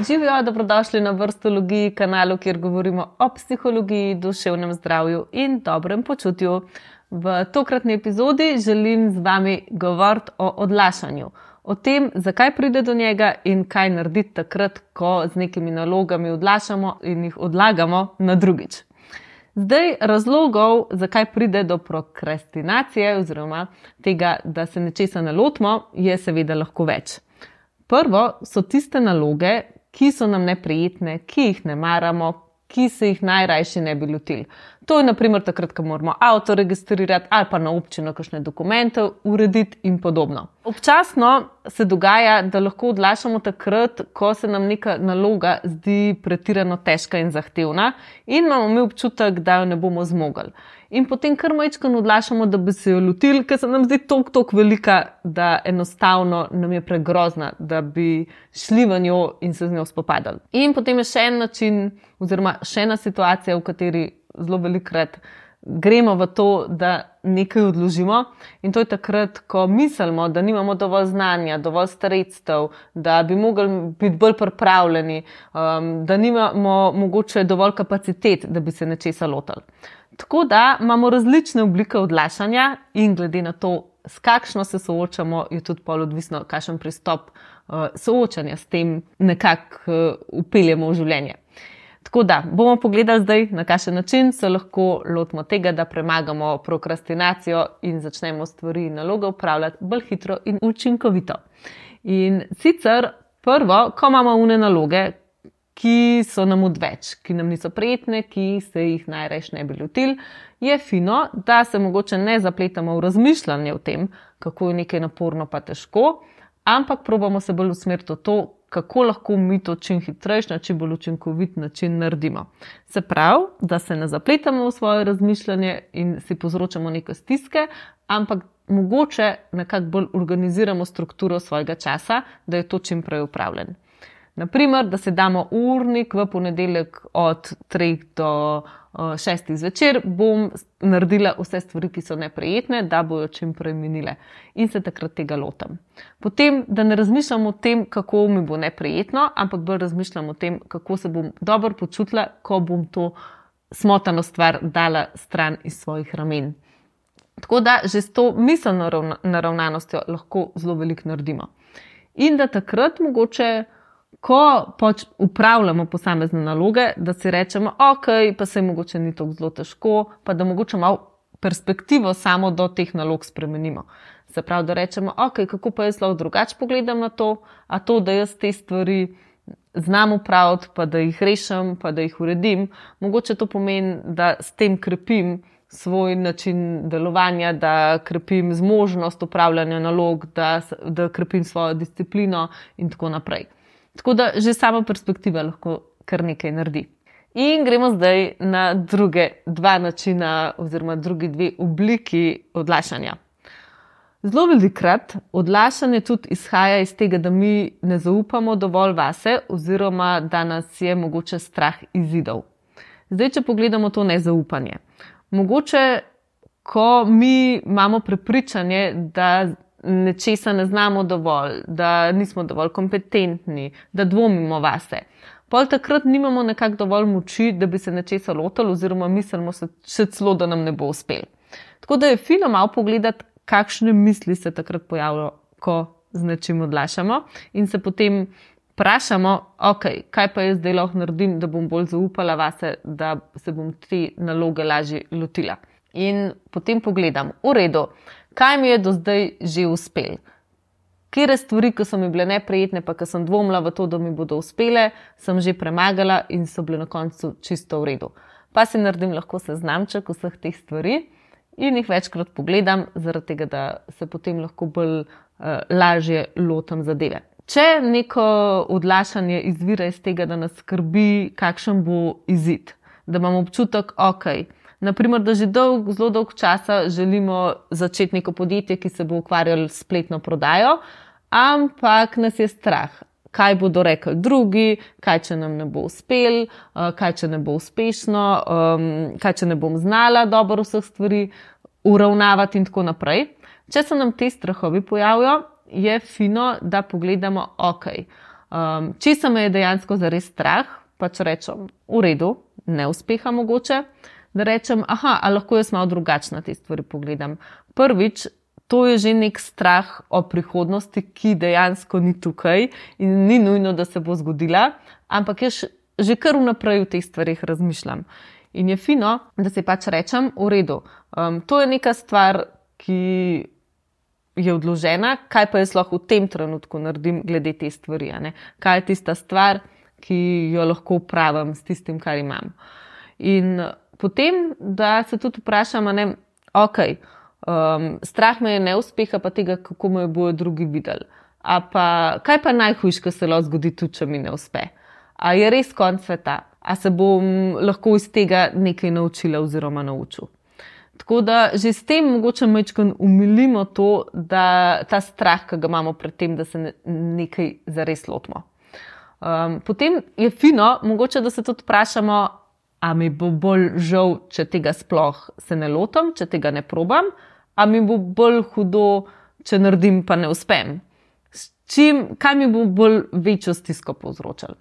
Živijo, dobrodošli na Vrstologiji, kanalu, kjer govorimo o psihologiji, duševnem zdravju in dobrem počutju. V tokratni epizodi želim z vami govoriti o odlašanju. O tem, zakaj pride do njega in kaj narediti takrat, ko z nekimi nalogami odlašamo in jih odlagamo na drugič. Zdaj, razlogov, zakaj pride do prokrastinacije oziroma tega, da se nečesa ne lotimo, je seveda lahko več. Prvo so tiste naloge, ki so nam neprijetne, ki jih ne maramo, ki se jih najrajši ne bi lotili. To je na primer takrat, ko moramo avto registrirati ali pa na občino kakšne dokumente urediti in podobno. Občasno se dogaja, da lahko odlašamo takrat, ko se nam neka naloga zdi pretirano težka in zahtevna in imamo mi občutek, da jo ne bomo zmogli. In potem kar majčkeno odlašamo, da bi se jo lotili, ker se nam zdi toliko velika, da enostavno nam je pregrozna, da bi šli v njo in se z njo spopadali. In potem je še en način oziroma še ena situacija, v kateri zelo velikokrat gremo v to, da nekaj odložimo, in to je takrat, ko mislimo, da nimamo dovolj znanja, dovolj sredstev, da bi mogli biti bolj pripravljeni, da nimamo mogoče dovolj kapacitet, da bi se nečesa lotili. Tako da imamo različne oblike odlašanja in glede na to, s kakšno se soočamo, je tudi pol odvisno, kakšen pristop soočanja s tem nekako vpeljemo v življenje. Tako da bomo pogledali zdaj, na kakšen način se lahko lotimo tega, da premagamo prokrastinacijo in začnemo stvari in naloge upravljati bolj hitro in učinkovito. In sicer prvo, ko imamo une naloge, ki so nam odveč, ki nam niso prijetne, ki se jih najrajši ne bi lotili, je fino, da se mogoče ne zapletamo v razmišljanje o tem, kako je nekaj naporno pa težko, ampak probamo se bolj usmeriti v to, kako lahko mi to čim hitrejši, na čim bolj učinkovit način naredimo. Se pravi, da se ne zapletamo v svoje razmišljanje in si povzročamo neke stiske, ampak mogoče nekako bolj organiziramo strukturo svojega časa, da je to čim prej upravljen. Naprimer, da se damo urnik v ponedeljek od 3 do 6 zvečer, bom naredila vse stvari, ki so neprijetne, da bojo čim prej minile in se takrat tega lotim. Potem, da ne razmišljam o tem, kako mi bo neprijetno, ampak bolj razmišljam o tem, kako se bom dobro počutila, ko bom to smotano stvar dala stran iz svojih ramen. Tako da že s to miselno naravnanostjo lahko zelo veliko naredimo. In da takrat mogoče, ko upravljamo posamezne naloge, da si rečemo, ok, pa se mogoče ni tako zelo težko, pa da mogoče malo perspektivo samo do teh nalog spremenimo. Se pravi, da rečemo, ok, kako pa jaz lahko drugače pogledam na to, a to, da jaz te stvari znam upraviti, pa da jih rešim, pa da jih uredim, mogoče to pomeni, da s tem krepim svoj način delovanja, da krepim zmožnost upravljanja nalog, da krepim svojo disciplino in tako naprej. Tako da že sama perspektiva lahko kar nekaj naredi. In gremo zdaj na druge dva načina oziroma drugi dve obliki odlašanja. Zelo velikokrat odlašanje tudi izhaja iz tega, da mi ne zaupamo dovolj vase oziroma da nas je mogoče strah izidov. Zdaj, če pogledamo to nezaupanje. Mogoče, ko mi imamo prepričanje, da nečesa ne znamo dovolj, da nismo dovolj kompetentni, da dvomimo vase. Pol takrat nimamo nekako dovolj moči, da bi se nečesa lotili oziroma mislimo se še celo, da nam ne bo uspelo. Tako da je fino malo pogledati, kakšne misli se takrat pojavljajo, ko z nečim odlašamo in se potem vprašamo, ok, kaj pa jaz zdaj lahko naredim, da bom bolj zaupala vase, da se bom te naloge lažje lotila. In potem pogledam, v redu, kaj mi je do zdaj že uspelo? Katere stvari, ki so mi bile neprijetne, pa ki sem dvomila v to, da mi bodo uspele, sem že premagala in so bile na koncu čisto v redu. Pa si naredim lahko seznamček vseh teh stvari in jih večkrat pogledam, zaradi tega, da se potem lahko bolj lažje lotim zadeve. Če neko odlašanje izvira iz tega, da nas skrbi, kakšen bo izid, da imamo občutek, ok, naprimer, da že zelo dolgo časa želimo začeti neko podjetje, ki se bo ukvarjalo s spletno prodajo, ampak nas je strah, kaj bodo rekli drugi, kaj če nam ne bo uspelo, kaj če ne bo uspešno, kaj če ne bom znala dobro vseh stvari uravnavati in tako naprej. Če se nam te strahovi pojavijo, je fino, da pogledamo, ok, Česa me je dejansko zares strah, pa če rečem, v redu, neuspeha mogoče, da rečem, a lahko jaz malo drugačno te stvari pogledam. Prvič, to je že nek strah o prihodnosti, ki dejansko ni tukaj in ni nujno, da se bo zgodila, ampak jaz že kar vnaprej v teh stvarih razmišljam. In je fino, da si pač rečem, v redu, to je neka stvar, ki je odložena, kaj pa jaz lahko v tem trenutku naredim glede te stvari, a ne? Kaj je tista stvar, ki jo lahko upravim s tistim, kar imam. In potem, da se tudi vprašam, strah me je neuspeha, pa tega, kako me bojo drugi videli. Kaj pa najhujš, ko se lahko zgodi tudi, če mi ne uspe? A je res konec sveta? A se bom lahko iz tega nekaj naučila oziroma naučil? Tako da že s tem mogoče majčkeno umilimo to, da ta strah, ki ga imamo pred tem, da se nekaj zares lotimo. Potem je fino, mogoče, da se tudi vprašamo, a mi bo bolj žal, če tega sploh se ne lotim, če tega ne probam, a mi bo bolj hudo, če naredim pa ne uspem. Kaj mi bo bolj večjo stisko povzročalo?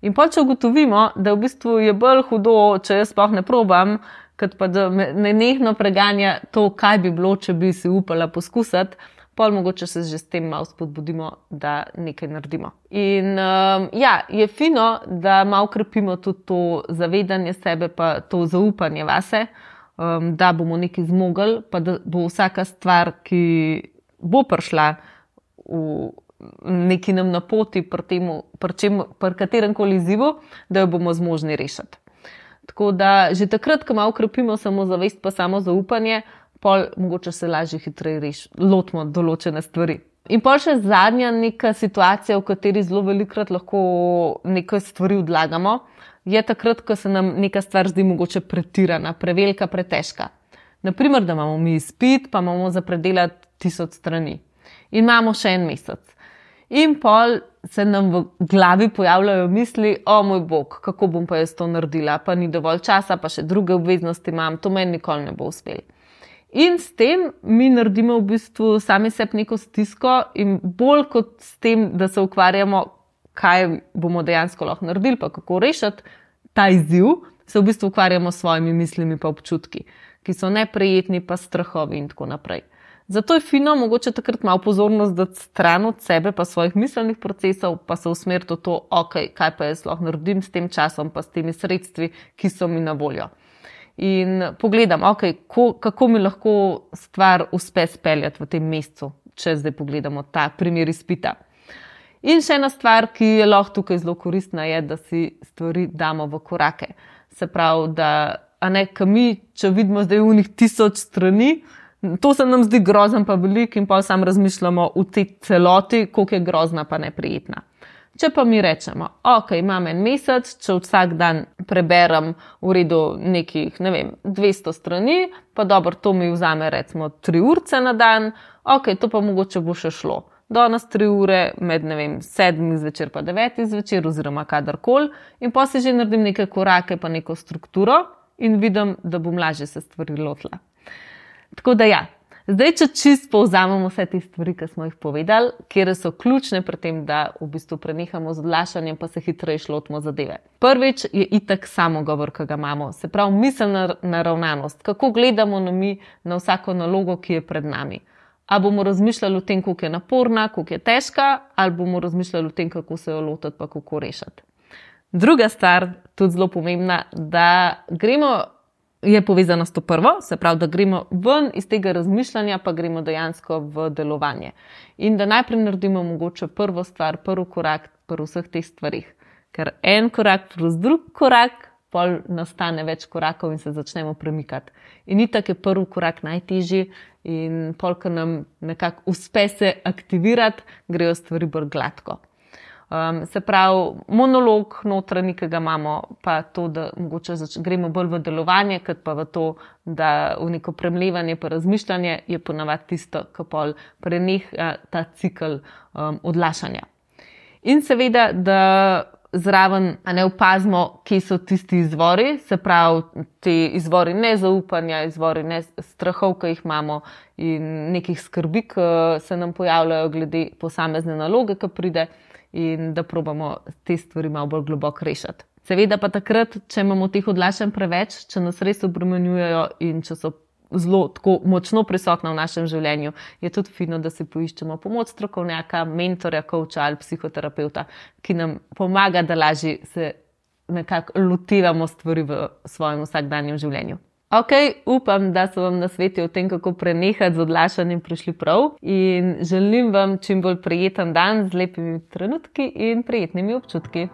In pa če ugotovimo, da v bistvu je bolj hudo, če jaz sploh ne probam, kot pa da me nenehno preganja to, kaj bi bilo, če bi si upala poskusiti, pol mogoče se že s tem malo spodbudimo, da nekaj naredimo. In je fino, da malo krepimo tudi to zavedanje sebe, pa to zaupanje vase, da bomo nekaj zmogli, pa da bo vsaka stvar, ki bo prišla v neki nam na poti pri kateremkoli izzivu, da jo bomo zmožni rešiti. Tako da že takrat, ko malo krepimo samozavest pa samo zaupanje, pol mogoče se lažje hitreje lotimo določene stvari. In pol še zadnja neka situacija, v kateri zelo velikokrat lahko nekaj stvari odlagamo, je takrat, ko se nam neka stvar zdi mogoče pretirana, prevelika, pretežka. Naprimer, da imamo mi izpit, pa imamo za predelati 1000 strani. In imamo še en mesec. In pol se nam v glavi pojavljajo misli, o moj bog, kako bom pa jaz to naredila, pa ni dovolj časa, pa še druge obveznosti imam, to meni nikoli ne bo uspelo. In s tem mi naredimo v bistvu sami sebi neko stisko in bolj kot s tem, da se ukvarjamo, kaj bomo dejansko lahko naredili, pa kako rešiti ta izziv, se v bistvu ukvarjamo s svojimi mislimi pa občutki, ki so neprijetni, pa strahovi in tako naprej. Zato je fino mogoče takrat malo pozornost dati stran od sebe pa svojih miselnih procesov, pa se usmeriti v to, kaj pa jaz lahko naredim s tem časom, pa s temi sredstvi, ki so mi na voljo. In pogledam, kako mi lahko stvar uspe speljati v tem mesecu, če zdaj pogledamo ta primer izpita. In še ena stvar, ki je lahko tukaj zelo koristna, je, da si stvari damo v korake. Se pravi, da mi, če vidimo zdaj unih 1000 strani, to se nam zdi grozno pa veliko in pa sam razmišljamo v tej celoti, koliko je grozna pa neprijetna. Če pa mi rečemo, imam en mesec, če vsak dan preberem v redu nekih, 200 strani, pa dobro, to mi vzame recimo 3 urce na dan, to pa mogoče bo še šlo. Danes 3 ure med, 7 zvečer pa 9 zvečer oziroma kadarkoli in pa si že naredim neke korake pa neko strukturo in vidim, da bom lažje se stvari lotila. Tako da zdaj, če čisto povzamemo vse te stvari, ki smo jih povedali, kjer so ključne pri tem, da v bistvu prenehamo z odlašanjem, pa se hitreje lotimo zadeve. Prvič je itak samogovor, ki ga imamo, se pravi miselna naravnanost, kako gledamo na vsako nalogo, ki je pred nami. A bomo razmišljali o tem, koliko je naporna, koliko je težka, ali bomo razmišljali o tem, kako se jo lotiti, pa kako rešiti. Druga stvar, tudi zelo pomembna, da je povezana s to prvo, se pravi, da gremo ven iz tega razmišljanja, pa gremo dejansko v delovanje. In da najprej naredimo mogoče prvo stvar, prvi korak pri vseh teh stvarih. Ker en korak plus drug korak, pol nastane več korakov in se začnemo premikati. In itak je prvi korak najtežji in pol, ko nam nekako uspe se aktivirati, grejo stvari bolj gladko. Se pravi, monolog notranji, ki ga imamo, pa to, da mogoče gremo bolj v delovanje, kot pa v to, da v neko premlevanje pa razmišljanje je ponavadi tisto, ki pol preneha ta cikel odlašanja. In seveda, da zraven opazimo, kje so tisti izvori, se pravi, ti izvori nezaupanja, izvori strahov, ki jih imamo in nekih skrbi, ki se nam pojavljajo glede posamezne naloge, ki pride. in da probamo te stvari malo bolj globoko rešiti. Seveda pa takrat, če imamo teh odlašanj preveč, če nas res obremenjujejo in če so zelo tako močno prisotna v našem življenju, je tudi fino, da si poiščemo pomoč strokovnjaka, mentorja, coacha ali psihoterapevta, ki nam pomaga, da lažje se nekako lotevamo stvari v svojem vsakdanjem življenju. Ok, upam, da so vam nasveti o tem, kako prenehati z odlašanjem prišli prav in želim vam čim bolj prijeten dan z lepimi trenutki in prijetnimi občutki.